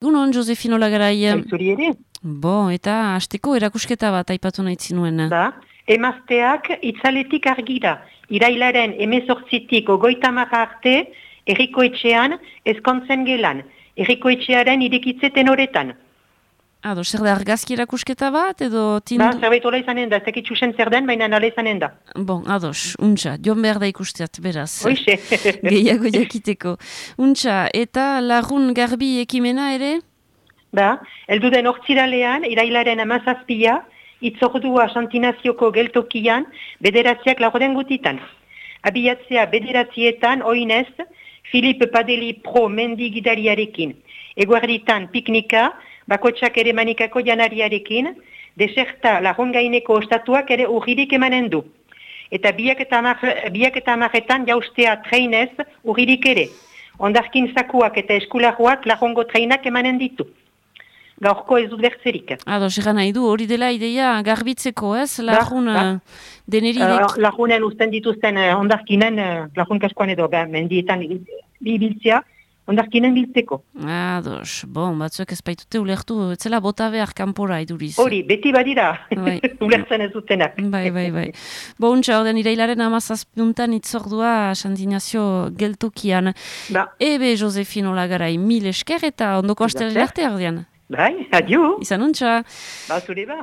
Gunon, Josefino Lagarai. Zuri ere, Bo, eta hasteko erakusketa bat aipatu nahi zinuen. da, emazteak itzaletik argira, irailaren 18tik 30 arte, errikoetxean ezkontzen gelan, errikoetxearen irekitzeten horretan. Ado, zer da argazki erakusketa bat, edo tindu... Ba, zerbait hola izanen da, ez dakit txusen zer den, baina nala izanen da. Bon, ados, untxa, joan behar da ikusteat, beraz. Hoixe. Gehiago jakiteko. Untxa, eta lagun garbi ekimena ere? Ba, eldu den hortziralean, irailaren 17a, itzordua Santinazioko geltokian, bederatziak laurden gutitan. Abiatzea bederatzietan, oinez, Filip Padeli Pro mendi gidariarekin. Eguerditan piknika, bakotsak ere manikako janariarekin, deserta lagungaineko ostatuak ere urririk emanen du. Eta biak eta amaretan jaustea treinez urririk ere. Ondarkin zakuak eta eskularroak lagungo treinak emanen ditu. Gaurko ez dut bertzerik. Ados, egan nahi du, hori dela ideia garbitzeko, ez? Lagun deneririk... Lagunen usten dituzten ondarkinen, lagun kaskoan edo mendietan biltzea, ondarkinen biltzeko. Ados, bon, batzuek ez baitute ulertu, etzela bota behar kanpora iduriz. Hori, beti badira, ulertzen ez dutenak. Bai. Bo, untxa, orden irailaren 17 itzordua Santinazio geltokian. Ba. Ebe, Josefino Lagarai, mil esker eta ondoko astelera arte ordean. Bai, adio. Izan untxa. Ba, zure ba.